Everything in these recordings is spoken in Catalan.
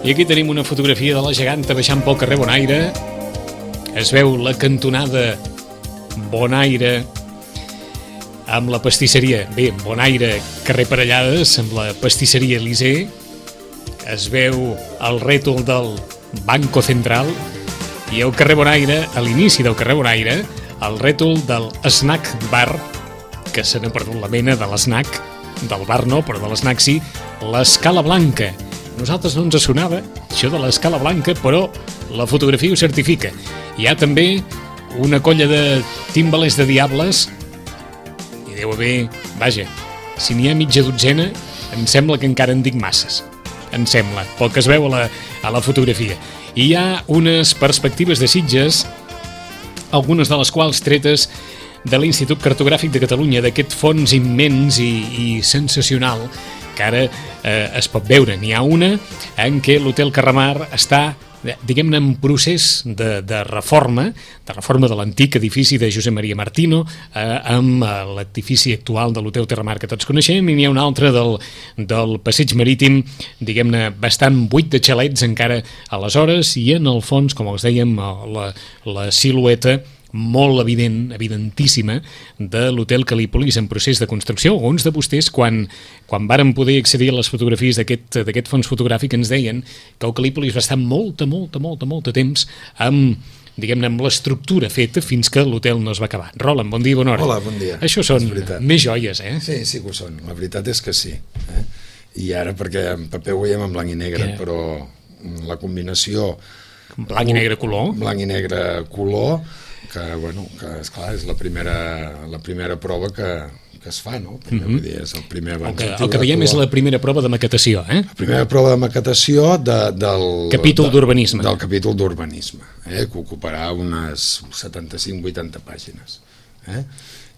I aquí tenim una fotografia de la geganta baixant pel carrer Bonaire. Es veu la cantonada Bonaire amb la pastisseria. Bé, Bonaire, carrer Parellades, amb la pastisseria Elisée. Es veu el rètol del Banco Central i al carrer Bonaire, a l'inici del carrer Bonaire, el rètol del Snack Bar, que se n'ha perdut la mena de l'esnac, del bar no, però de l'esnac sí, l'Escala Blanca. Nosaltres no ens sonava això de l'Escala Blanca, però la fotografia ho certifica. Hi ha també una colla de timbalers de diables, i deu haver, vaja, si n'hi ha mitja dotzena, em sembla que encara en dic masses. Em sembla, pel que es veu a la fotografia. I hi ha unes perspectives de Sitges, algunes de les quals tretes de l'Institut Cartogràfic de Catalunya, d'aquest fons immens i sensacional que ara es pot veure. N'hi ha una en què l'Hotel Carramar està, diguem-ne, en procés de reforma de l'antic edifici de Josep Maria Martino amb l'edifici actual de l'Hotel Terramar que tots coneixem, i n'hi ha un altre del Passeig Marítim, diguem-ne, bastant buit de xalets encara aleshores, i en el fons, com els dèiem, la silueta molt evident, evidentíssima, de l'Hotel Cal·lípolis en procés de construcció. Alguns de vostès, quan varen poder accedir a les fotografies d'aquest fons fotogràfic, ens deien que el Cal·lípolis va estar molt temps amb, diguem-ne, amb l'estructura feta fins que l'hotel no es va acabar. Roland, bon dia i bona hora. Hola, bon dia. Això són més joies, eh? Sí que ho són. La veritat és que sí. I ara, perquè en paper ho veiem en blanc i negre, però la combinació... Blanc i negre color? Blanc i negre color, que, bueno, que esclar, és la primera prova que es fa, no? Vull dir, és el primer avanç. El que veiem és la primera prova de maquetació, eh? La primera prova de maquetació del capítol d'urbanisme. Del capítol d'urbanisme, que ocuparà unes 75-80 pàgines.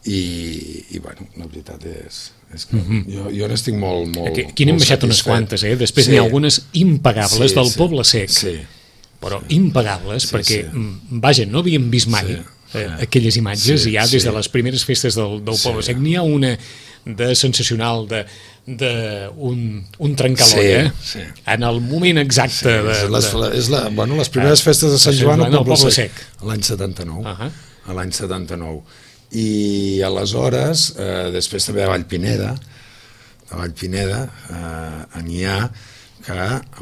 I bueno, la veritat és que jo n'estic molt aquí n'hem baixat unes quantes, després n'hi ha algunes impagables del Poble Sec. Sí. Però impagables, perquè, vaja, no havíem vist mai aquelles imatges, ja des de les primeres festes del Poble Sec. N'hi ha una de sensacional, d'un trencalolla, en el moment exacte. Les primeres festes de Sant Joan al Poble Sec, l'any 79. L'any 79. I aleshores, després també a Vallpineda, n'hi ha que,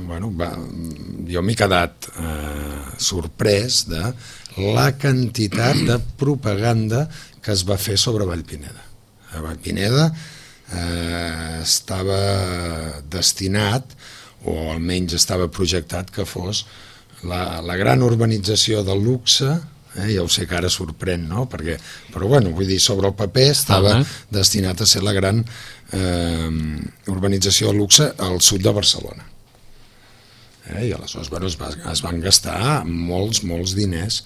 bueno, jo m'he quedat sorprès de la quantitat de propaganda que es va fer sobre Vallpineda. A Vallpineda estava destinat, o almenys estava projectat, que fos la gran urbanització del luxe. Ja ho sé que ara sorprèn, no? Però bueno, vull dir, sobre el paper estava destinat a ser la gran urbanització de luxe al sud de Barcelona. I aleshores, bueno, es van gastar molts diners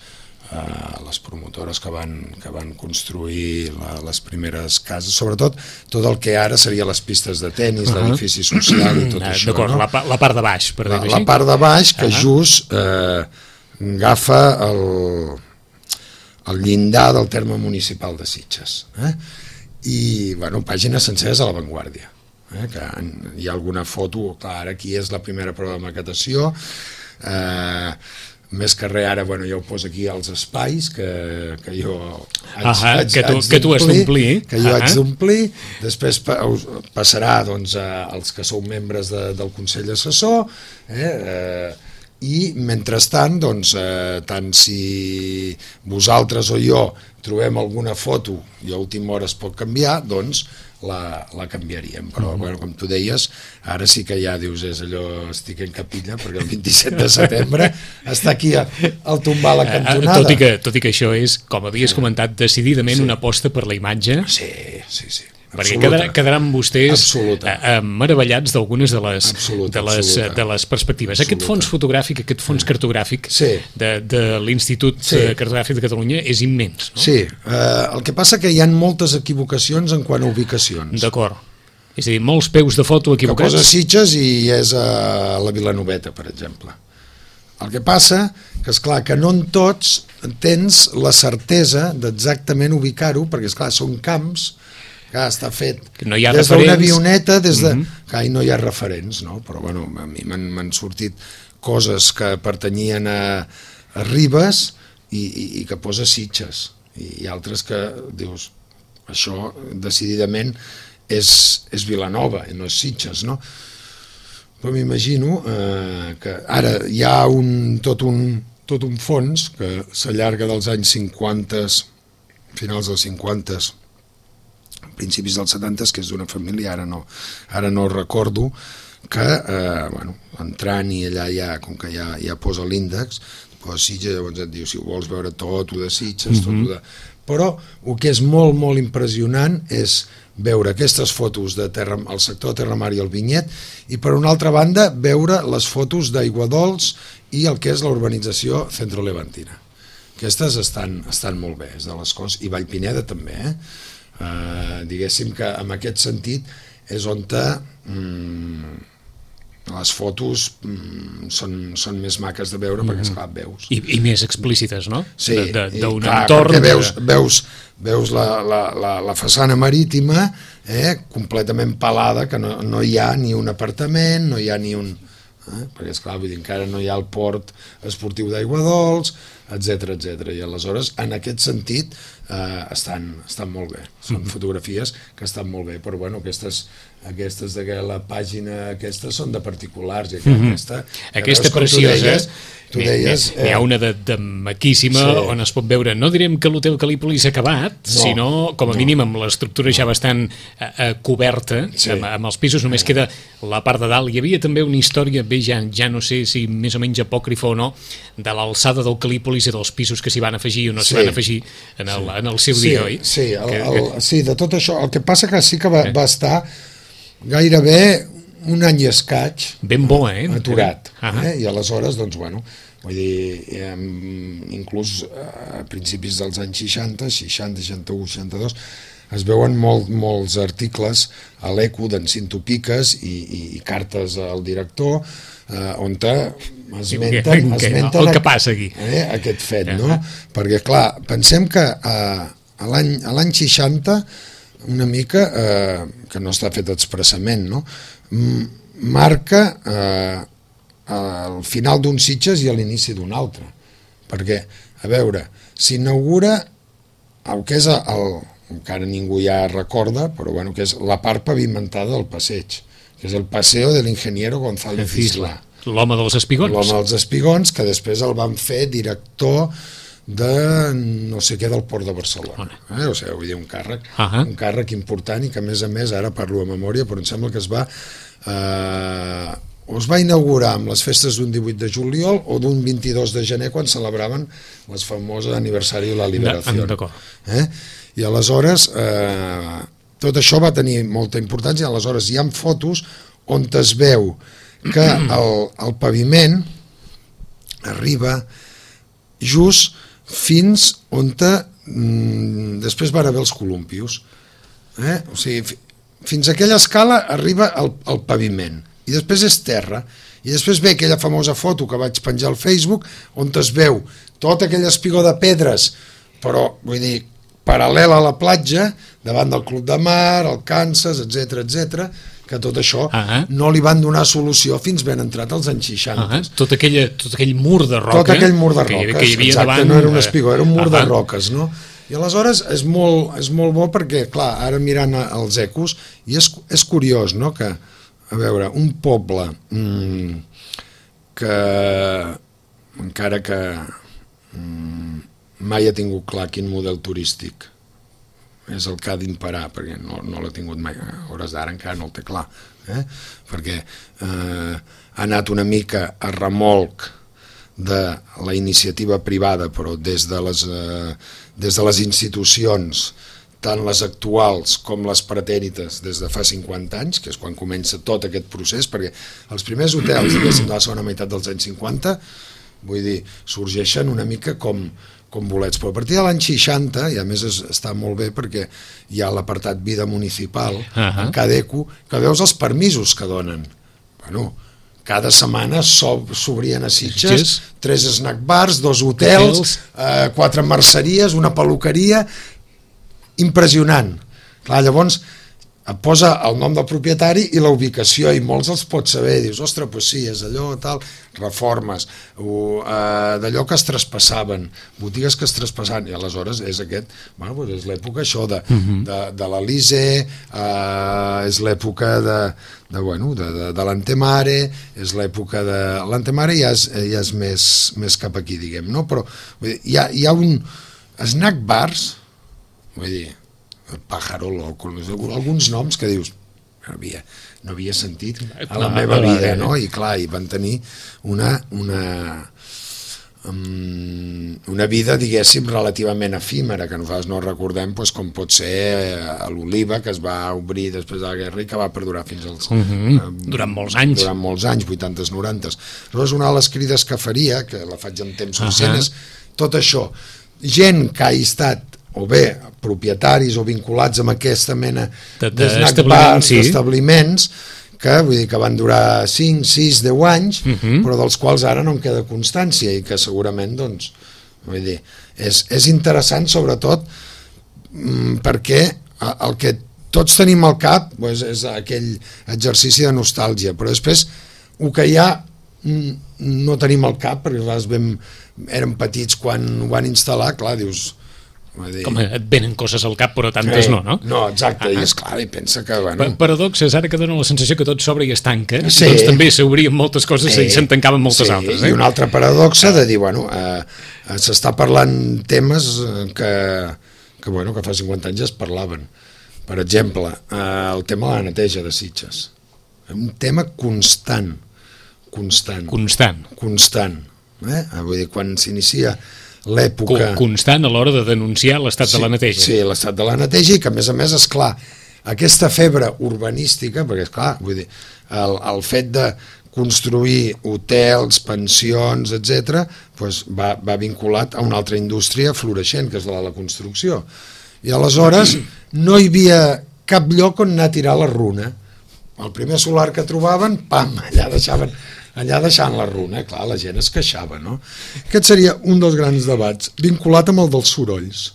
les promotores que van construir les primeres cases, sobretot tot el que ara seria les pistes de tennis, l'edifici social i tot això. D'acord, la part de baix, per dir-ho així. La part de baix, que just agafa el llindar del terme municipal de Sitges. I, bueno, pàgines senceres a l'avantguàrdia. Que hi ha alguna foto, clar, aquí és la primera prova de maquetació, més que res ara, bueno, jo ho poso aquí als espais que jo que tu has d'omplir, que jo haig d'omplir, després passarà doncs als que sou membres del Consell Assessor, i mentrestant, doncs, tant si vosaltres o jo trobem alguna foto i a última hora es pot canviar, doncs la canviaríem, però com tu deies, ara sí que ja dius, és allò, estic en capilla, perquè el 27 de setembre està aquí al tombar la cantonada. Tot i que això és, com havies comentat, decididament una aposta per la imatge. Sí. Perquè quedaran vostès meravellats d'algunes de les perspectives. Aquest fons fotogràfic, aquest fons cartogràfic de l'Institut Cartogràfic de Catalunya és immens, no? Sí, el que passa que hi ha moltes equivocacions en quant a ubicacions. D'acord. És a dir, molts peus de foto equivocats. Que posa Sitges i és a la Vilanoveta, per exemple. El que passa que, esclar, que no en tots tens la certesa d'exactament ubicar-ho, perquè, esclar, són camps que està fet des d'una avioneta, des Clar, no hi ha referents, no? Però bueno, a mi m'han sortit coses que pertanyien a Ribes i que posa Sitges, i altres que dius, això decididament és Vilanova i no és Sitges, no? Però m'imagino que ara hi ha tot un fons que s'allarga dels anys 50, finals dels 50, principis dels 70, que és d'una família, ara no recordo, que, entrant i allà ja, com que ja posa l'índex, posa Sitges, llavors et diu, si ho vols veure tot, ho de Sitges, tot ho de... Però el que és molt, molt impressionant és veure aquestes fotos al sector de Terramar i el Vinyet, i per una altra banda veure les fotos d'Aiguadols i el que és la urbanització Centro-Levantina. Aquestes estan molt bé, és de les coses, i Vallpineda també, diguéssim que en aquest sentit és on les fotos són més maques de veure perquè esclar, veus. I més explícites, no? Sí, d'un entorn... Veus la façana marítima completament pelada, que no hi ha ni un apartament, no hi ha ni un... perquè esclar, vull dir, encara no hi ha el port esportiu d'Aiguadols, etc. I aleshores, en aquest sentit, estan molt bé. Són fotografies que estan molt bé, però bueno, aquestes de la pàgina aquesta són de particulars, i aquesta preciosa, tu deies, n'hi ha una de maquíssima, sí, on es pot veure, no direm que l'hotel Cal·lípolis s'ha acabat, sinó com a mínim amb l'estructura ja bastant coberta, sí, amb els pisos, només queda la part de dalt. Hi havia també una història, bé, ja no sé si més o menys apòcrifa o no, de l'alçada del Cal·lípolis i dels pisos que s'hi van afegir o no s'hi van afegir en el seu dia, oi? Sí, sí, de tot això. El que passa que sí que va estar gairebé un any i escaig ben bo, aturat. I aleshores, doncs, bueno, vull dir, inclús a principis dels anys 60, 61, 62, es veuen molts articles a l'Eco d'en Cinto Piques i cartes al director on esmenten el que passa aquí. Aquest fet, no? Perquè, clar, pensem que a l'any 60 una mica, que no està fet expressament, no? Marca el final d'un Sitges i l'inici d'un altre. Perquè, a veure, s'inaugura el que és encara ningú ja recorda, però bueno, que és la part pavimentada del passeig, que és el Paseo del Ingeniero González Isla. L'home dels espigons. L'home dels espigons, que després el van fer director de no sé què del Port de Barcelona. O sigui, vull dir, un càrrec important, i que a més ara parlo a memòria, però em sembla que es va inaugurar amb les festes d'un 18 de juliol o d'un 22 de gener, quan celebraven les famoses aniversari de la Liberació. I aleshores tot això va tenir molta importància. Aleshores hi ha fotos on es veu que el paviment arriba just fins on després van haver els columpios. O sigui, fins a aquella escala arriba el paviment, i després és terra, i després ve aquella famosa foto que vaig penjar al Facebook on es veu tot aquell espigó de pedres, però vull dir, paral·lel a la platja, davant del Club de Mar, el Kansas, etc., que tot això no li van donar solució fins ben entrat als anys 60. Tot aquell mur de roca. Tot aquell mur de roques, exacte, no era un espigó, era un mur de roques, no? I aleshores és molt bo perquè, clar, ara mirant els ecos, i és curiós, no?, que, a veure, un poble que, encara que mai ha tingut clar quin model turístic és el que ha d'imperar, perquè no l'ha tingut mai, a hores d'ara encara no el té clar, perquè ha anat una mica a remolc de la iniciativa privada, però des de les institucions, tant les actuals com les pretèrites des de fa 50 anys, que és quan comença tot aquest procés, perquè els primers hotels, diguéssim, de la segona meitat dels anys 50, vull dir, sorgeixen una mica com bolets, però a partir de l'any 60, i a més està molt bé perquè hi ha l'apartat vida municipal en cada eco, que veus els permisos que donen. Bueno, cada setmana s'obrien a Sitges 3 snack bars, 2 hotels, 4 merceries, una peluqueria, impressionant. Clar, llavors posa el nom del propietari i la ubicació, i molts els pots saber, dius, ostres, doncs sí, és allò, tal, reformes, d'allò que es traspassaven, botigues que es traspassaven, i aleshores és aquest, bueno, doncs és l'època això de l'Elise, és l'època de l'Antemare, és l'època de... L'Antemare ja és més cap aquí, diguem, no? Però hi ha un snack bars, vull dir, el Pájaro Loco, alguns noms que dius no havia sentit a la meva vida, no? I clar, i van tenir una vida, diguéssim, relativament efímera, que nosaltres no recordem, com pot ser l'Oliva, que es va obrir després de la guerra i que va perdurar fins als... Durant molts anys. Durant molts anys, 80s, 90s. Aleshores, una de les crides que faria, que la faig en temps suficient, és tot això. Gent que ha estat o bé propietaris o vinculats amb aquesta mena d'esnac bars, d'establiments, que vull dir que van durar 5, 6, 10 anys, però dels quals ara no en queda constància i que segurament, doncs, vull dir, és interessant sobretot perquè el que tots tenim al cap és aquell exercici de nostàlgia, però després el que hi ha no tenim al cap, perquè érem petits quan ho van instal·lar, clar, dius... Com et venen coses al cap, però tantes no? No, exacte, i esclar, i pensa que... Paradoxes, ara que dona la sensació que tot s'obre i es tanca, doncs també s'obrien moltes coses i se'n tancaven moltes altres. I una altra paradoxa de dir, s'està parlant temes que fa 50 anys es parlaven. Per exemple, el tema de la neteja de Sitges. Un tema constant. Vull dir, quan s'inicia l'època... Constant a l'hora de denunciar l'estat de la neteja. Sí, l'estat de la neteja, i que a més, esclar, aquesta febre urbanística, perquè esclar, vull dir, el fet de construir hotels, pensions, etc., doncs va vinculat a una altra indústria floreixent, que és la de la construcció. I aleshores no hi havia cap lloc on anar a tirar la runa. El primer solar que trobaven, pam, allà deixant la runa, clar, la gent es queixava, no? Aquest seria un dels grans debats, vinculat amb el dels sorolls.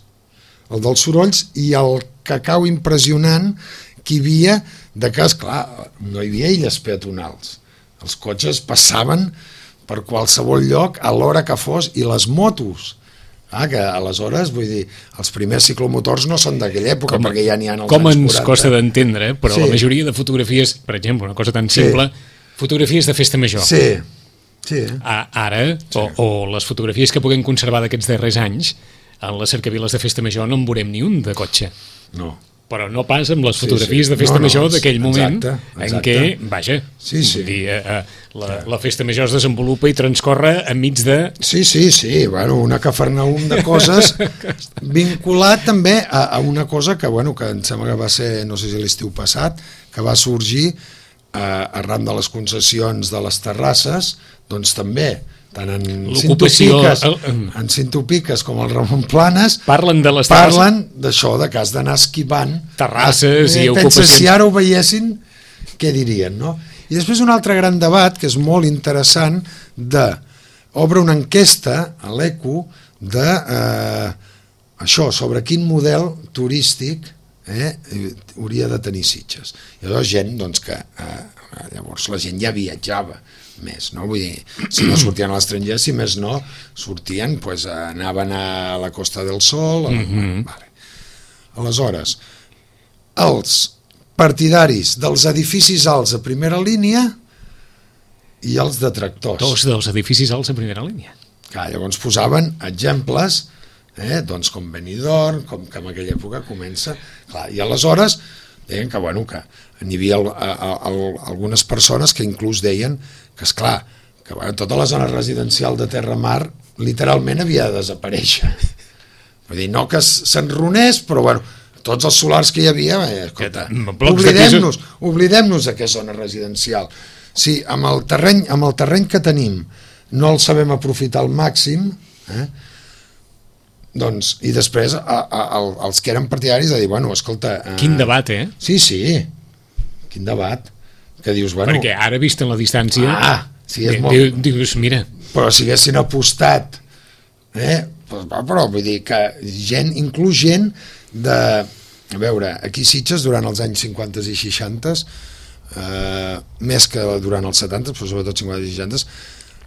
El dels sorolls i el cacau impressionant que hi havia de que, esclar, no hi havia illes peatonals. Els cotxes passaven per qualsevol lloc a l'hora que fos, i les motos, que aleshores, vull dir, els primers ciclomotors no són d'aquella època, perquè ja n'hi ha als anys 40. Com ens costa d'entendre, però la majoria de fotografies, per exemple, una cosa tan simple, fotografies de festa major. Sí. Ara, o les fotografies que puguem conservar d'aquests darrers anys, en les cercaviles de festa major no en veurem ni un de cotxe. No. Però no pas amb les fotografies de festa major d'aquell moment en què, vaja, la festa major es desenvolupa i transcorre enmig de... Sí, una cafarnaum de coses vinculat també a una cosa que em sembla que va ser, no sé si l'estiu passat, que va sorgir arran de les concessions de les terrasses, doncs també, tant en Cintopiques com el Ramon Planes, parlen d'això, de que has d'anar esquivant terrasses i ocupacions. Pensa, si ara ho veiessin, què dirien, no? I després un altre gran debat, que és molt interessant, obre una enquesta a l'ECO això, sobre quin model turístic hauria de tenir Sitges. I llavors gent, doncs, que llavors la gent ja viatjava més, no? Vull dir, si no sortien a l'estranger, si més no, sortien, doncs anaven a la Costa del Sol. Aleshores, els partidaris dels edificis alts a primera línia i els detractors. Dos dels edificis alts a primera línia. Llavors posaven exemples, doncs com Benidorm, com que en aquella època comença, i aleshores deien que n'hi havia algunes persones que inclús deien que, esclar, que tota la zona residencial de Terramar literalment havia de desaparèixer. Vull dir, no que s'enronés, però tots els solars que hi havia, oblidem-nos d'aquesta zona residencial. Si amb el terreny que tenim no el sabem aprofitar al màxim, doncs, i després els que eren partidaris de dir, escolta... Quin debat, Sí, quin debat. Que dius, perquè ara, vist en la distància, dius, mira... Però si haguessin apostat, però vull dir que inclús gent a veure, aquí Sitges durant els anys 50 i 60, més que durant els 70, però sobretot 50 i 60,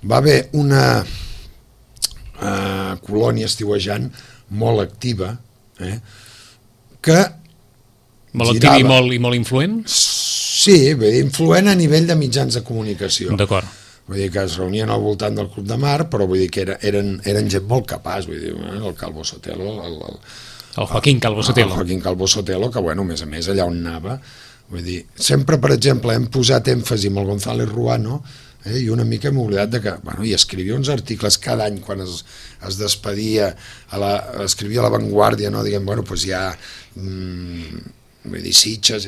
va haver una colònia estiuejant molt activa, que molt activa i molt influent? Sí, influent a nivell de mitjans de comunicació. D'acord. Vull dir que es reunien al voltant del Club de Mar, però vull dir que eren gent molt capaç, vull dir, el Calvo Sotelo, el Joaquín Calvo Sotelo. El Joaquín Calvo Sotelo, que, bueno, a més, allà on anava, vull dir, sempre, per exemple, hem posat èmfasi amb el González Ruano, i una mica hem oblidat de que, bueno, i escrivia uns articles cada any quan es despedia, escrivia a La Vanguardia, no, diguem, bueno, doncs ja, vull dir, Sitges,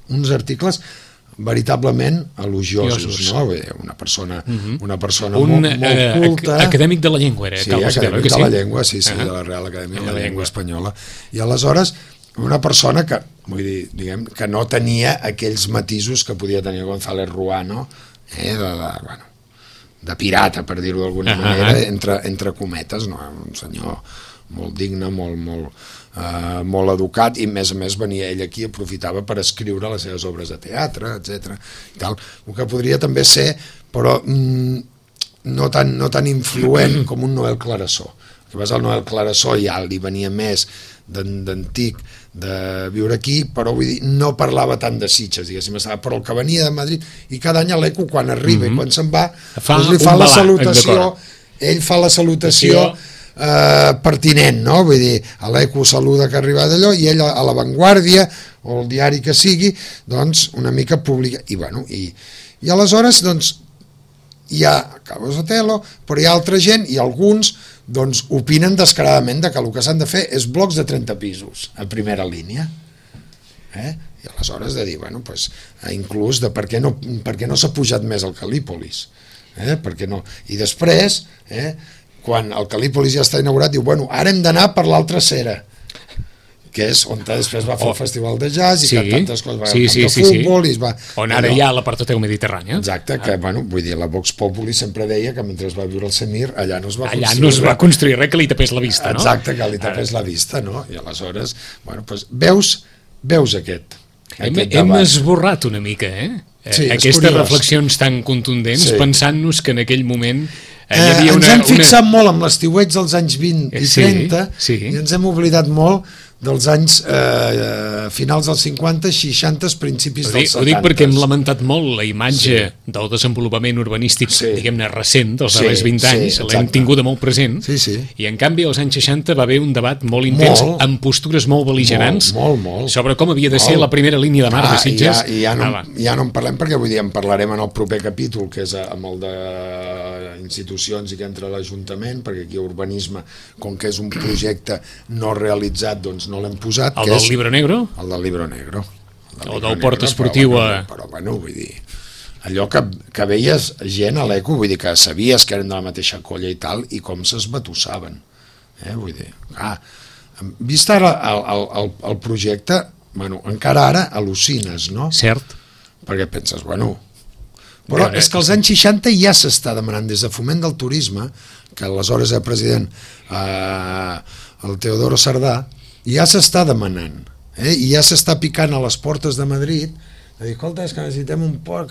uns articles veritablement elogiosos, no? Una persona molt culta. Acadèmic de la llengua era, sí, acadèmic de la llengua, sí, de la Real Acadèmia de la Llengua Espanyola. I aleshores, una persona que, vull dir, diguem, que no tenia aquells matisos que podia tenir González Ruano, de pirata, per dir-ho d'alguna manera, entre cometes, no? Un senyor molt digne, molt educat, i a més venia ell aquí i aprofitava per escriure les seves obres de teatre, etc. El que podria també ser, però no tan influent com un Noel Clarasó. El que passa, el Noel Clarasó ja li venia més d'antic de viure aquí, però vull dir, no parlava tant de Sitges, diguéssim, però el que venia de Madrid, i cada any a l'ECO, quan arriba i quan se'n va, li fa la salutació, ell fa la salutació pertinent, no? Vull dir, a l'ECO saluda que ha arribat allò, i ell a La Vanguardia, o el diari que sigui, doncs una mica publica, i bueno, i aleshores, doncs, hi ha Calvo Sotelo, però hi ha altra gent, i alguns doncs opinen descaradament que el que s'han de fer és blocs de 30 pisos a primera línia, i aleshores de dir, bueno, doncs, inclús de per què no s'ha pujat més al Cal·lípolis, per què no? I després, quan el Cal·lípolis ja està inaugurat, diu, bueno, ara hem d'anar per l'altra cera, que és on després va fer el Festival de Jazz i que tantes coses, va al futbol i es va... On ara hi ha la Partoteu Mediterrània. Exacte, que, bueno, vull dir, la Vox Populi sempre deia que mentre es va viure el Semir, allà no es va construir allà no es va construir res que li tapés la vista, no? Exacte, que li tapés la vista, no? I aleshores, bueno, doncs veus aquest debat. Hem esborrat una mica, aquestes reflexions tan contundents, pensant-nos que en aquell moment ens hem fixat molt amb l'estiueig dels anys 20 i 30 i ens hem oblidat molt dels anys finals dels 50, 60, principis dels 70. Ho dic perquè hem lamentat molt la imatge del desenvolupament urbanístic, diguem-ne, recent, dels darrers 20 anys, l'hem tinguda molt present, i en canvi als anys 60 va haver un debat molt intens, amb postures molt bel·ligerants, sobre com havia de ser la primera línia de mar de Sitges. Ja no en parlem perquè, vull dir, en parlarem en el proper capítol, que és amb el de institucions i que entra l'Ajuntament, perquè aquí urbanisme, com que és un projecte no realitzat, doncs no l'hem posat. El del Libro Negro? El del Libro Negro. O del port esportiu Però, bueno, vull dir, allò que veies gent a l'ECO, vull dir que sabies que eren de la mateixa colla i tal, i com s'esbatussaven. Vull dir, vist ara el projecte, bueno, encara ara al·lucines, no? Cert. Perquè penses, bueno... Però és que als anys 60 ja s'està demanant des de Foment del Turisme, que aleshores era president el Teodoro Sardà, ja s'està demanant, i ja s'està picant a les portes de Madrid, de dir, escolta, és que necessitem un port,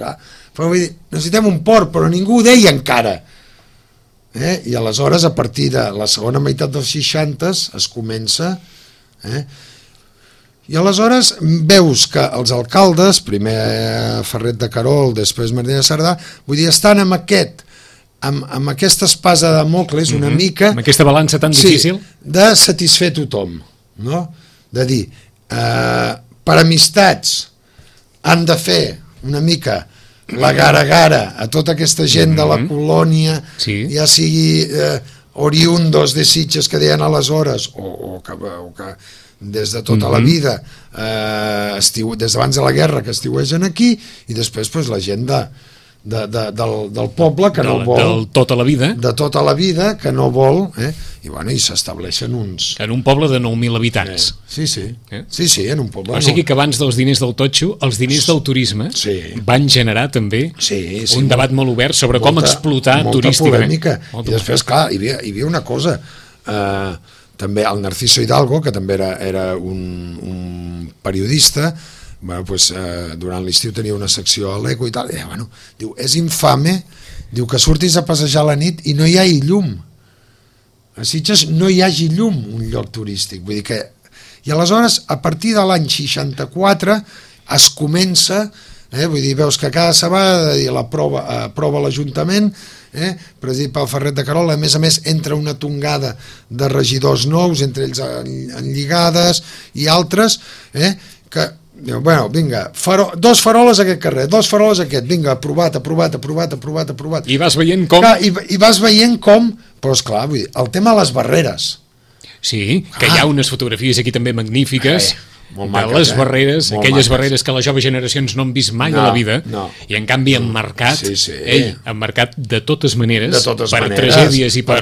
però vull dir, necessitem un port, però ningú ho deia encara, i aleshores a partir de la segona meitat dels 60 es comença, i aleshores veus que els alcaldes, primer Ferret de Carol, després Martínez Sardà, vull dir, estan amb aquesta espasa de Damocles una mica... Amb aquesta balança tan difícil? De satisfer tothom, no? De dir, per amistats han de fer una mica la gara-gara a tota aquesta gent de la colònia, ja sigui oriundos de Sitges que deien aleshores, o que des de tota la vida, des d'abans de la guerra que estiuegen aquí, i després la gent del poble que no vol... De tota la vida. De tota la vida, que no vol, i bueno, i s'estableixen uns... En un poble de 9.000 habitants. Sí, en un poble... O sigui que abans dels diners del totxo, els diners del turisme van generar també un debat molt obert sobre com explotar turísticament. Molta polèmica. I després, clar, hi havia una cosa... també el Narciso Hidalgo, que també era un periodista, bueno, pues, durant l'estiu tenia una secció a l'Eco i tal, i bueno, diu, és infame, diu que surtis a passejar a la nit i no hi hagi llum. A Sitges no hi hagi llum, un lloc turístic. Vull dir que... I aleshores, a partir de l'any 64, es comença, vull dir, veus que cada setmana aprova l'Ajuntament, presidit pel Ferret de Carola, a més, entra una tongada de regidors nous, entre ells enlligades i altres, que diu, bueno, vinga, dos faroles a aquest carrer, dos faroles a aquest, vinga, aprovat. I vas veient com... Clar, i vas veient com, però esclar, vull dir, el tema de les barreres. Sí, que hi ha unes fotografies aquí també magnífiques de les barreres, aquelles barreres que les joves generacions no han vist mai a la vida, i en canvi han marcat, han marcat de totes maneres, per tragèdies i per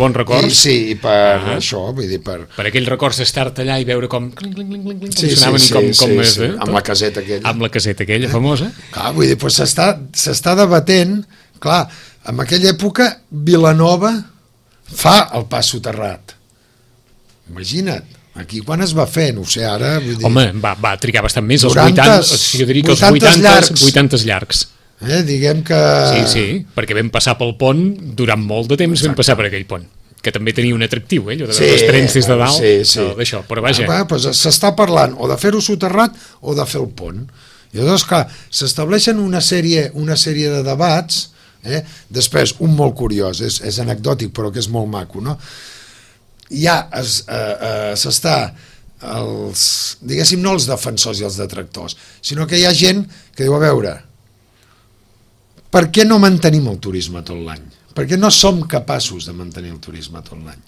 bons records. I per això, vull dir, per aquells records d'estar-te allà i veure com sonaven i com és, amb la caseta aquella. Amb la caseta aquella famosa. Clar, vull dir, s'està debatent, clar, en aquella època Vilanova fa el pas soterrat. Imagina't, aquí quan es va fer, no sé, ara... Vull dir, home, va trigar bastant més, els 80 llargs. Diguem que... Sí, perquè vam passar pel pont, durant molt de temps vam passar per aquell pont, que també tenia un atractiu, allò de veure els trens des de dalt, d'això, però vaja. Pues s'està parlant o de fer-ho soterrat o de fer el pont. I llavors, clar, s'estableixen una sèrie de debats, després, un molt curiós, és anecdòtic, però que és molt maco, no? Ja s'està diguéssim, no els defensors i els detractors, sinó que hi ha gent que diu, a veure, per què no mantenim el turisme tot l'any? Per què no som capaços de mantenir el turisme tot l'any?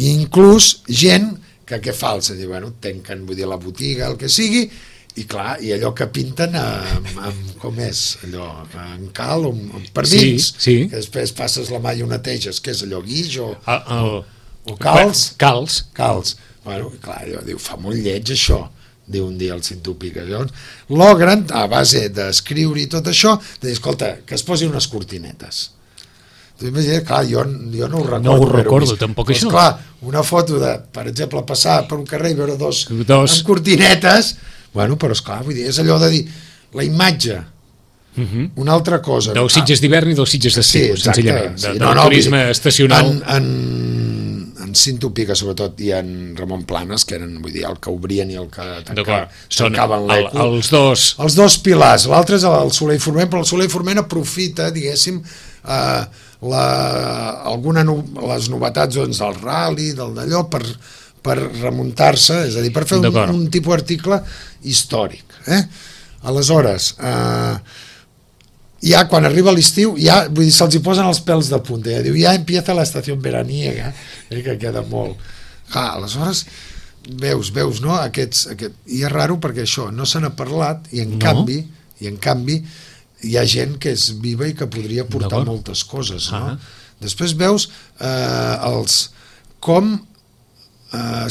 I inclús gent que què fa? Se diu, bueno, tanquen, vull dir, la botiga, el que sigui, i clar, i allò que pinten amb com és allò, en cal o per dins, que després passes la mà i ho neteges, que és allò, guix o calç. Bueno, clar, allò diu, fa molt lleig això, diu un dia el Cintupica. Llavors, logren, a base d'escriure i tot això, de dir, escolta, que es posin unes cortinetes. Clar, jo no ho recordo. No ho recordo, tampoc això. Clar, una foto de, per exemple, passar per un carrer i veure dos amb cortinetes, bueno, però esclar, vull dir, és allò de dir, la imatge, una altra cosa. Dels Sitges d'hivern i dels Sitges d'estiu, senzillament, del turisme estacional. En Cintupica, sobretot, i en Ramon Planes, que eren, vull dir, el que obrien i el que tancaven l'Eco. Els dos pilars. L'altre és el Soler i Forment, però el Soler i Forment aprofita, diguéssim, les novetats del rally, d'allò, per remuntar-se, és a dir, per fer un tipus d'article històric. Aleshores, ja quan arriba l'estiu, ja, vull dir, se'ls hi posen els pèls de punta, diu, ja empieza la estació veraniega, que queda molt. Aleshores, veus, no? I és raro perquè això, no se n'ha parlat, i en canvi, hi ha gent que és viva i que podria portar moltes coses, no? Després veus com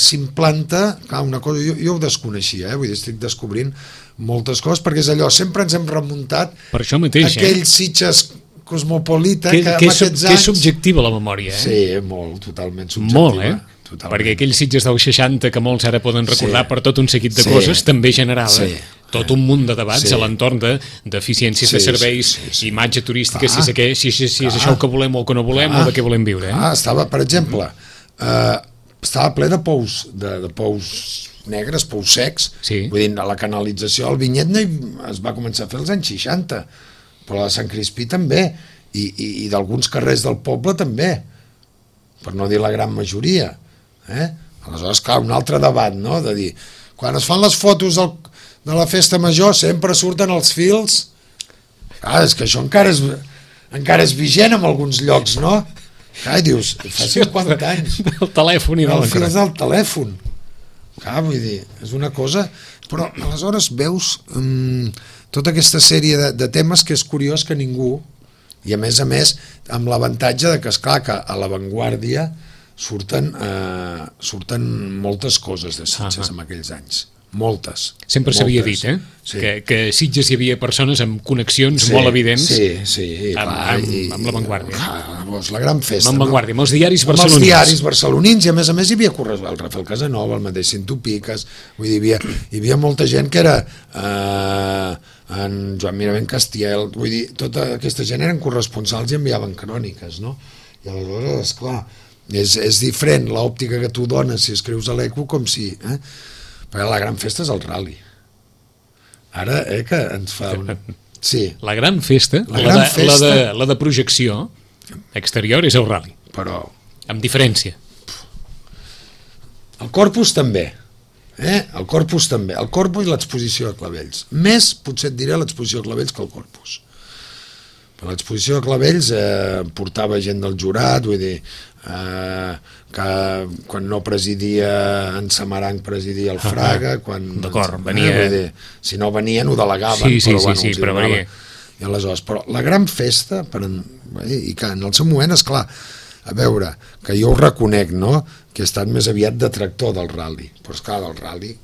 s'implanta, una cosa, jo ho desconeixia, vull dir, estic descobrint moltes coses, perquè és allò, sempre ens hem remuntat per això mateix, aquell Sitges cosmopolita que amb aquests anys... Que és subjectiva la memòria, Sí, molt, totalment subjectiva. Molt, perquè aquells Sitges dels 60 que molts ara poden recordar per tot un seguit de coses, també generava tot un munt de debats a l'entorn d'eficiències de serveis, imatge turística, si és això que volem o que no volem, o de què volem viure. Estava, per exemple, estava ple de pous negres, pous secs, vull dir, la canalització, el Vinyet es va començar a fer als anys 60, però la de Sant Crispí també, i d'alguns carrers del poble també, per no dir la gran majoria. Aleshores, clar, un altre debat, no?, de dir, quan es fan les fotos de la festa major sempre surten els fils, és que això encara és vigent en alguns llocs, no? I dius, fa 50 anys. Del telèfon i del fils del telèfon. Vull dir, és una cosa... Però aleshores veus tota aquesta sèrie de temes que és curiós que ningú, i a més, amb l'avantatge de que, esclar, que a l'avantguàrdia surten moltes coses de Sitges en aquells anys. moltes. Sempre s'havia dit, Sí. que a Sitges hi havia persones amb connexions molt evidents amb l'avantguàrdia. La gran festa. Amb l'avantguàrdia, amb els diaris amb barcelonins. els diaris barcelonins, i a més hi havia el Rafael Casanova, el mateix Cinto Piques, vull dir, hi havia molta gent que era en Joan Miravent Castiel, vull dir, tota aquesta gent eren corresponsals i enviaven cròniques, no? I aleshores, esclar, és diferent l'òptica que tu dones si escrius a l'Eco com si... Perquè la gran festa és el rally. Ara, que ens fa un... Sí. La gran festa, la de projecció exterior és el rally. Però... Amb diferència. El Corpus també. El Corpus també. El Corpus i l'exposició de Clavells. Més, potser et diré, l'exposició de Clavells que el Corpus. Però l'exposició de Clavells portava gent del jurat, vull dir... que quan no presidia en Samaranc presidia el Fraga, d'acord, venia... dir, si no venien ho delegaven, però venia. I aleshores, però la gran festa i que en el seu moment, esclar, a veure, que jo ho reconec, no? Que he estat més aviat detractor del rally, però esclar, del rally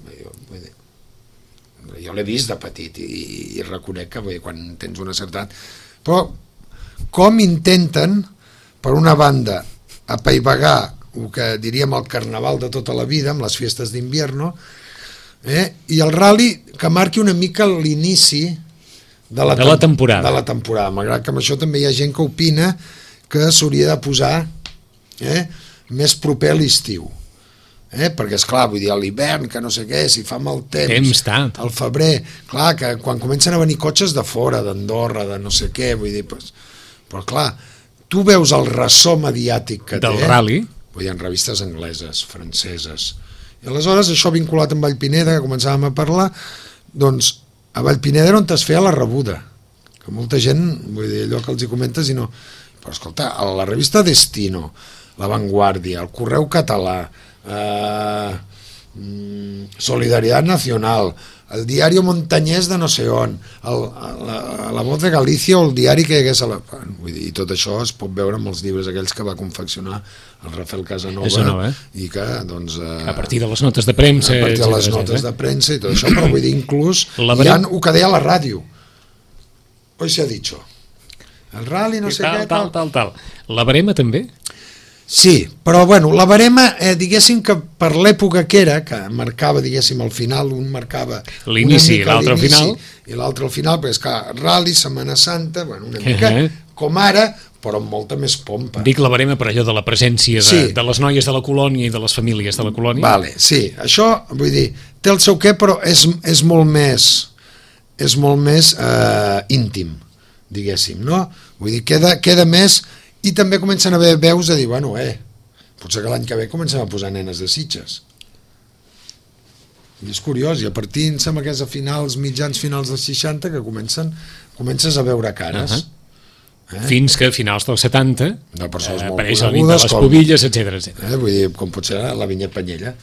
jo l'he vist de petit i reconec que quan tens una certa... Però com intenten, per una banda, apaivagar el que diríem el carnaval de tota la vida amb les festes d'invierno, i el rally que marqui una mica l'inici de la temporada, malgrat que amb això també hi ha gent que opina que s'hauria de posar més proper a l'estiu, perquè esclar, vull dir, a l'hivern que no sé què, si fa mal temps al febrer, clar, que quan comencen a venir cotxes de fora, d'Andorra, de no sé què, vull dir, però clar, tu veus el ressò mediàtic que del rally, vull dir, en revistes angleses, franceses, i aleshores això vinculat amb Vallpineda, que començàvem a parlar, doncs a Vallpineda era on es feia la rebuda, que molta gent, vull dir, allò que els hi comentes i no, però escolta, a la revista Destino, La Vanguardia, el Correu Català, Solidaridad Nacional, el diari Montañés de no sé on, la Voz de Galícia o el diari que hi hagués vull dir, i tot això es pot veure amb els llibres aquells que va confeccionar el Rafael Casanova, i que doncs a partir de les notes de premsa, de premsa i tot això, però vull dir, inclús hi ha el que deia a la ràdio, hoy se ha dicho el rally no sé què tal. La Barema també? Sí, però bueno, la barema, diguéssim que per l'època que era, que marcava, diguéssim, al final, un marcava l'inici i l'altre al final, i l'altre al final, perquè és que Rally, Setmana Santa, bueno, una mica com ara, però amb molta més pompa. Dic la barema per allò de la presència de les noies de la colònia i de les famílies de la colònia. Vale, sí, això, vull dir, té el seu què, però és molt més íntim, diguéssim, no? Vull dir, queda més... I també comencen a haver veus a dir, bueno, potser que l'any que ve comencem a posar nenes de Sitges. I és curiós, i a partir, em sembla que és a mitjans finals dels 60 que comences a veure cares. Fins que a finals dels 70 apareix el nit de les Pobilles, etc. Vull dir, com pot ser la Vinyet Panyella,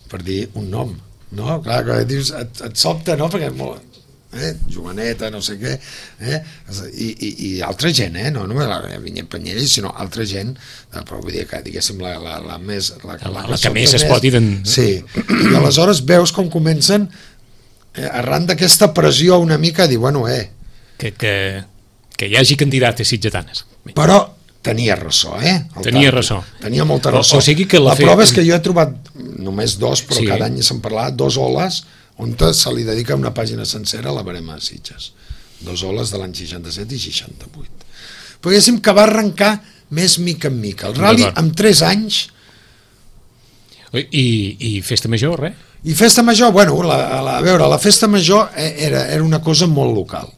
per dir un nom. No? Clar, que dius, et sobta, no? Perquè és molt... Joaneta, no sé què, i altra gent, no només la Vinyet Panyella, sinó altra gent, però vull dir que, diguéssim, la més... La que més es pot identificar. Sí, i aleshores veus com comencen, arran d'aquesta pressió una mica, a dir, bueno, que hi hagi candidates sitgetanes. Però tenia ressò, Tenia molta ressò. O sigui que la prova és que jo he trobat només dos, però cada any se'n parlava, dos oles, on se li dedica una pàgina sencera a la barema de Sitges. 2 oles de l'any 67 i 68. Però diguéssim que va arrencar més mica en mica. El rally, amb 3 anys... I Festa Major, res? I Festa Major, bueno, a veure, la Festa Major era una cosa molt local.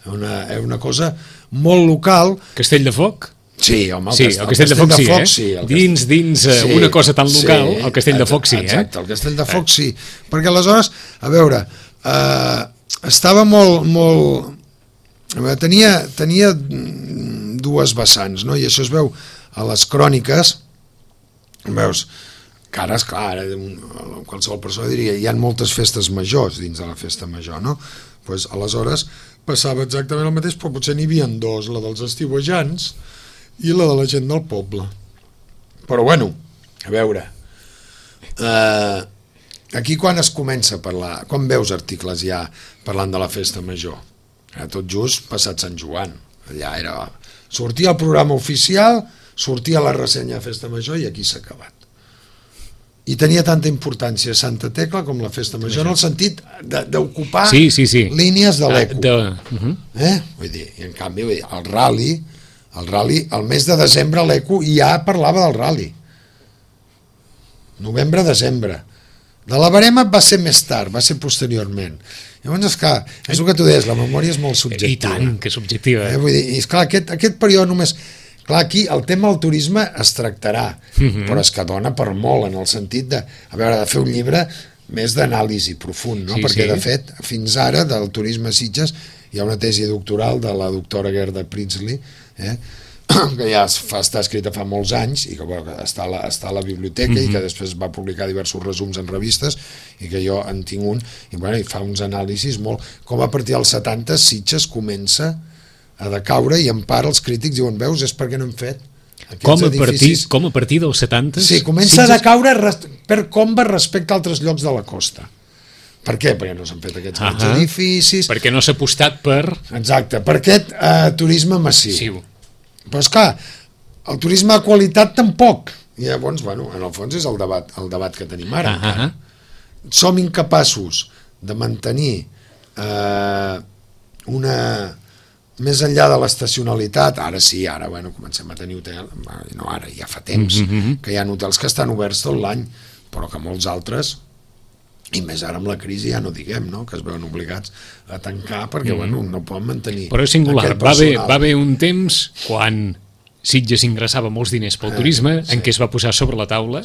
Era una cosa molt local... Castell de Foc? Sí, home, el Castell de Foc sí, dins una cosa tan local, el Castell de Foc sí, exacte, el Castell de Foc sí, perquè aleshores, a veure, estava molt... Tenia dues vessants, no? I això es veu a les cròniques, veus, que ara, esclar, qualsevol persona diria, hi ha moltes festes majors dins de la festa major, no? Pues, aleshores passava exactament el mateix, però potser n'hi havia 2, la dels estiuejants i la de la gent del poble. Però bueno, a veure, aquí quan es comença a parlar, quan veus articles ja parlant de la festa major? Tot just passat Sant Joan. Allà era... Sortia el programa oficial, sortia la ressenya de festa major i aquí s'ha acabat. I tenia tanta importància Santa Tecla com la festa major, en el sentit d'ocupar línies de l'eco. Vull dir, i en canvi, el rally, el mes de desembre l'eco ja parlava del rally. Novembre-desembre. De la Verema va ser més tard, va ser posteriorment. Llavors, esclar, és el que tu deies, la memòria és molt subjectiva. I tant, que subjectiva. Vull dir, i esclar, aquest període només... Clar, aquí el tema del turisme es tractarà, però és que dona per molt, en el sentit de, a veure, de fer un llibre més d'anàlisi profund, no? Perquè, de fet, fins ara, del turisme a Sitges, hi ha una tesi doctoral de la doctora Gerda Pritzli, que ja està escrita fa molts anys i que està a la biblioteca i que després va publicar diversos resums en revistes i que jo en tinc un i fa uns anàlisis molt... Com a partir dels 70 Sitges comença a decaure i en part els crítics diuen, veus, és perquè no hem fet com a partir dels 70? Sí, comença a decaure per com va respecte a altres llocs de la costa. Per què? Perquè no s'han fet aquests grans edificis... Perquè no s'ha apostat per... Exacte, per aquest turisme massiu. Però esclar, el turisme de qualitat tampoc. I llavors, bueno, en el fons és el debat que tenim ara. Som incapaços de mantenir una... Més enllà de l'estacionalitat, ara sí, ara comencem a tenir hotels, no ara, ja fa temps, que hi ha hotels que estan oberts tot l'any, però que molts altres, i més ara amb la crisi ja no diguem, no? Que es veuen obligats a tancar perquè no poden mantenir. Però és singular, va haver un temps quan Sitges ingressava molts diners pel turisme, en què es va posar sobre la taula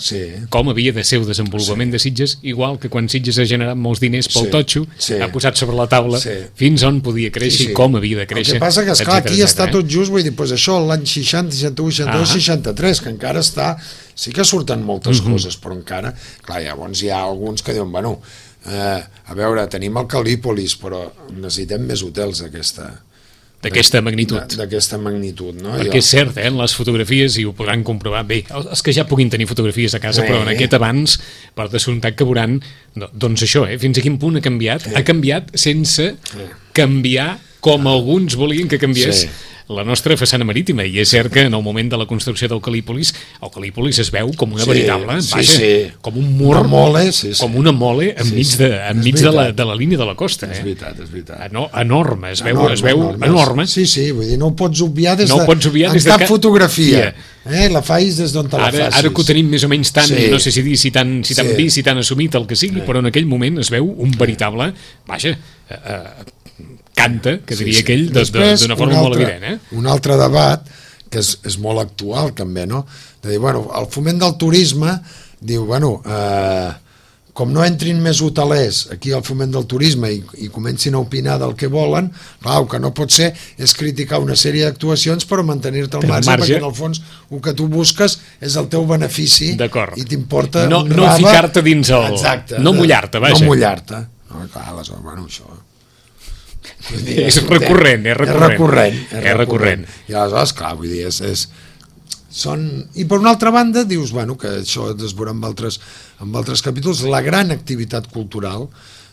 com havia de ser el desenvolupament de Sitges, igual que quan Sitges ha generat molts diners pel totxo, ha posat sobre la taula fins on podia créixer i com havia de créixer. El que passa que, esclar, aquí està tot just, vull dir, això l'any 60, 61, 62, 63, que encara està... Sí que surten moltes coses, però encara... Clar, llavors hi ha alguns que diuen, bueno, a veure, tenim el Calípolis, però necessitem més hotels d'aquesta magnitud. D'aquesta magnitud, no? Perquè és cert, en les fotografies, i ho podran comprovar bé, els que ja puguin tenir fotografies a casa, però en aquest abans, per descomptat que veuran, doncs això, fins a quin punt ha canviat? Ha canviat sense canviar com alguns volien que canviés la nostra façana marítima, i és cert que en el moment de la construcció del Calípolis, el Calípolis es veu com una veritable, com un mur, com una mole enmig de la línia de la costa. És veritat. Enorme, es veu enorme. Sí, vull dir, no ho pots obviar des de cap fotografia. La facis des d'on te la facis. Ara que ho tenim més o menys tant, no sé si dir si tan vist, si tan assumit el que sigui, però en aquell moment es veu un veritable, canta, que diria aquell, d'una forma molt evident. Un altre debat, que és molt actual també, no? De dir, el foment del turisme diu, com no entrin més hotelers aquí al foment del turisme i comencin a opinar del que volen, el que no pot ser és criticar una sèrie d'actuacions però mantenir-te al marge, perquè en el fons el que tu busques és el teu benefici i t'importa no ficar-te dins el... Exacte. No mullar-te, vaja. No mullar-te. Clar, aleshores, això... És recurrent. I aleshores, clar, vull dir, I per una altra banda, dius, que això es veurà en altres capítols, la gran activitat cultural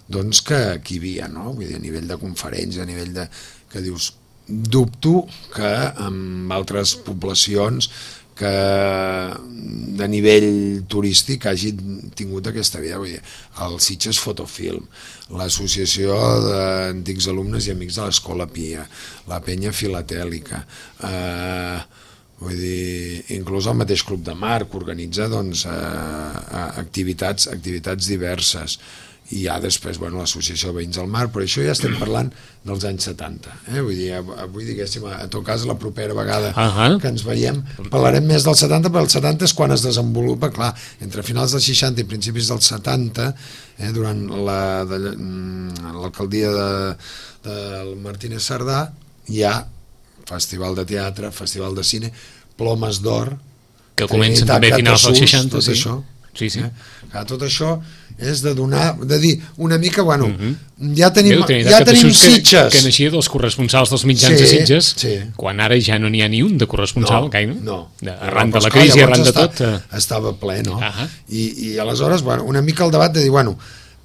doncs que hi havia, no? Vull dir, a nivell de conferències, a nivell de... que dius, dubto que en altres poblacions que de nivell turístic hagi tingut aquesta vida, vull dir, el Sitges Fotofilm, l'associació d'antics alumnes i amics de l'Escola Pia, la Penya Filatèlica, vull dir, inclús el mateix Club de Mar, que organitza activitats diverses. I hi ha després l'Associació de Veïns del Mar, però això ja estem parlant dels anys 70. Vull dir, avui, diguéssim, en tot cas, la propera vegada que ens veiem, parlarem més del 70, però el 70 és quan es desenvolupa, clar, entre finals dels 60 i principis dels 70, durant l'alcaldia del Martínez Sardà, hi ha festival de teatre, festival de cine, Plomes d'Or, que comencen també a finals dels 60, tot això. Sí, sí. Tot això és de donar, de dir una mica, bueno, ja tenim Sitges. Que naixia dels corresponsals dels mitjans de Sitges, quan ara ja no n'hi ha ni un de corresponsal, gaire. No. Arran de la crisi, arran de tot. Estava ple, no? I aleshores, bueno, una mica el debat de dir, bueno,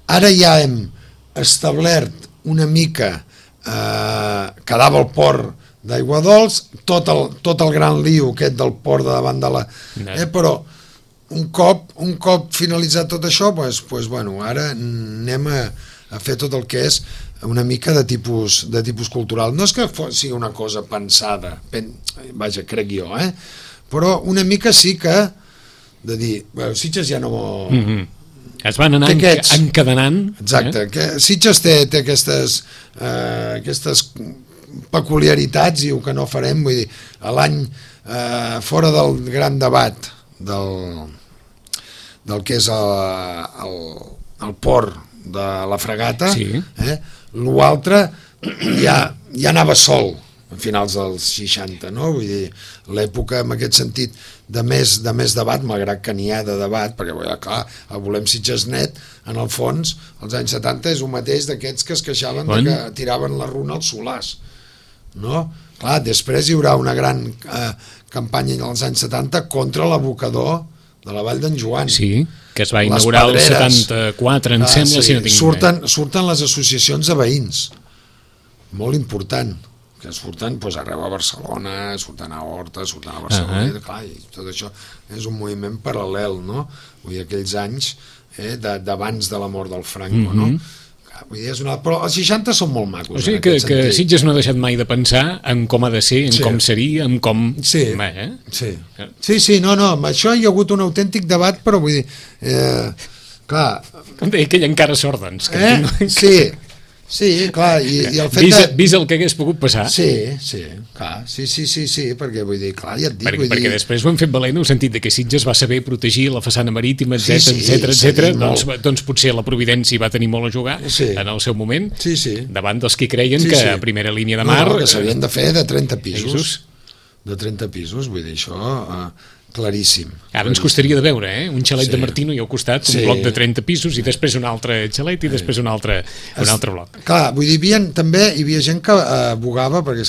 ara ja hem establert una mica, quedava el port d'Aiguadols, tot el gran lío aquest del port de davant de la... però un cop finalitzat tot això, doncs, bueno, ara anem a fer tot el que és una mica de tipus cultural. No és que sigui una cosa pensada, vaja, crec jo, però una mica sí que de dir, bueno, Sitges ja no... Es van anar encadenant. Exacte, que Sitges té aquestes peculiaritats i el que no farem, vull dir, a l'any fora del gran debat del que és el port de la Fragata, l'altre ja anava sol a finals dels 60, no? Vull dir, l'època en aquest sentit de més debat, malgrat que n'hi ha de debat, perquè clar, el Volem Sitges Net, en el fons, als anys 70 és un mateix d'aquests que es queixaven que tiraven la runa als solars, no? Clar, després hi haurà una gran campanya als anys 70 contra l'abocador de la Vall d'en Joan. Sí, que es va inaugurar el 74, em sembla, si no tinc... Surten les associacions de veïns, molt important, que surten arreu a Barcelona, surten a Horta, surten a Barcelona, clar, i tot això és un moviment paral·lel, no? Vull dir, aquells anys d'abans de la mort del Franco, no? Vull dir, però els 60 són molt macos. O sigui que Sitges no ha deixat mai de pensar en com ha de ser, en com seria, en com... Sí, no, amb això hi ha hagut un autèntic debat, però vull dir... Clar... Com deia aquell encara sort, doncs. Sí, clar, i el fet de... Vist el que hagués pogut passar. Sí, clar, sí, perquè vull dir, clar, ja et dic... Perquè després ho hem fet valent en el sentit que Sitges va saber protegir la façana marítima, etc. Doncs potser la Providència va tenir molt a jugar en el seu moment, davant dels que creien que a primera línia de mar... que s'havien de fer de 30 pisos. De 30 pisos, vull dir, això... claríssim. Ara ens costaria de veure, un xalet de Martino i al costat un bloc de 30 pisos i després un altre xalet i després un altre bloc. Clar, vull dir, també hi havia gent que abogava pel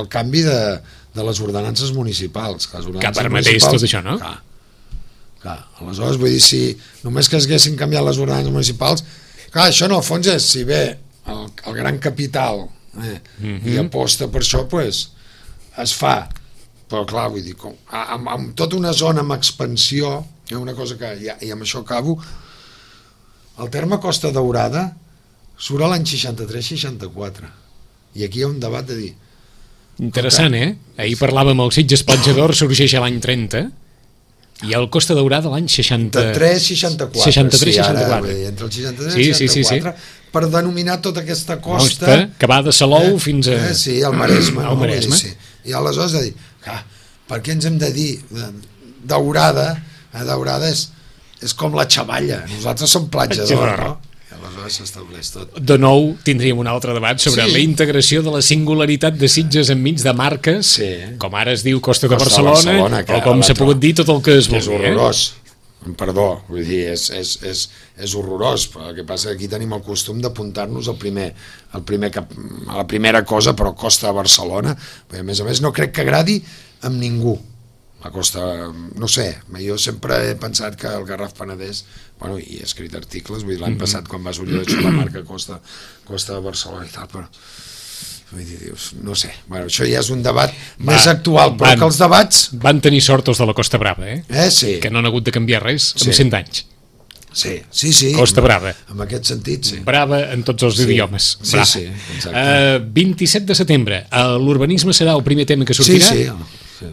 canvi de les ordenances municipals. Que permetés tot això, no? Clar, aleshores, vull dir, si només que es haguessin canviat les ordenances municipals, clar, això en el fons és, si ve el gran capital i aposta per això, doncs es fa. Però clar, vull dir, amb tota una zona amb expansió, una cosa que, i amb això acabo, el terme Costa Daurada surt a l'any 63-64, i aquí hi ha un debat de dir... Interessant, Ahir parlàvem el Sitges Platja d'Or, sorgeix a l'any 30, i el Costa Daurada l'any 63-64. 63-64. Entre el 63 i el 64, per denominar tota aquesta costa... Que va de Salou fins a... Sí, al Maresme. Al Maresme. I aleshores de dir, per què ens hem de dir Daurada? Daurada és com la Xavalla, nosaltres som Platja d'Or, no? I aleshores s'estableix tot. De nou tindríem un altre debat sobre la integració de la singularitat de Sitges enmig de marques, com ara es diu Costa de Barcelona, o com s'ha pogut dir tot el que es vulgui. És horrorós. Perdó, vull dir, és horrorós, però el que passa que aquí tenim el costum d'apuntar-nos a la primera cosa, però Costa de Barcelona, perquè a més no crec que agradi amb ningú. La Costa, no sé, jo sempre he pensat que el Garraf Penedès, bueno, i he escrit articles, vull dir, l'any passat quan va sortir la marca Costa de Barcelona i tal, però vull dir, dius, no sé, bueno, això ja és un debat més actual, però que els debats... Van tenir sort els de la Costa Brava, Sí. Que no han hagut de canviar res en 100 anys. Sí. Costa Brava. En aquest sentit, sí. Brava en tots els idiomes. Sí, exacte. 27 de setembre, l'urbanisme serà el primer tema que sortirà. Sí.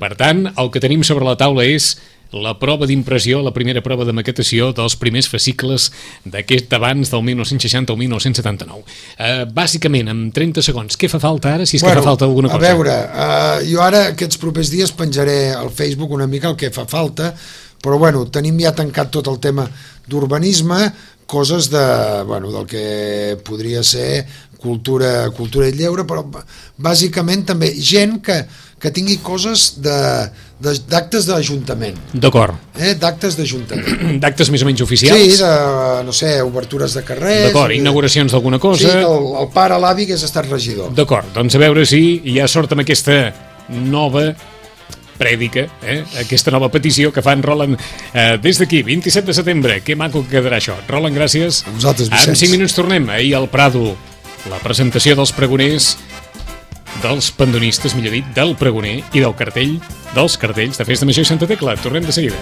Per tant, el que tenim sobre la taula és la prova d'impressió, la primera prova de maquetació dels primers fascicles d'aquest abans del 1960 al 1979. Bàsicament, en 30 segons, què fa falta ara, si és que fa falta alguna cosa? A veure, jo ara aquests propers dies penjaré al Facebook una mica el que fa falta, però bueno, tenim ja tancat tot el tema d'urbanisme, coses del que podria ser cultura i lleure, però bàsicament també gent que que tingui coses d'actes d'Ajuntament. D'acord. D'actes d'Ajuntament. D'actes més o menys oficials? Sí, no sé, obertures de carrers... D'acord, inauguracions d'alguna cosa... Sí, el pare, l'avi, que hagués estat regidor. D'acord, doncs a veure si hi ha sort amb aquesta nova prèdica, aquesta nova petició que fan Roland des d'aquí, 27 de setembre. Que maco que quedarà això. Roland, gràcies. A vosaltres, Vicenç. En 5 minuts tornem. Ahir al Prado, la presentació dels pregoners, dels pandonistes, millor dit, del pregoner i del cartell, dels cartells de Festa Major i Santa Tecla. Tornem de seguida.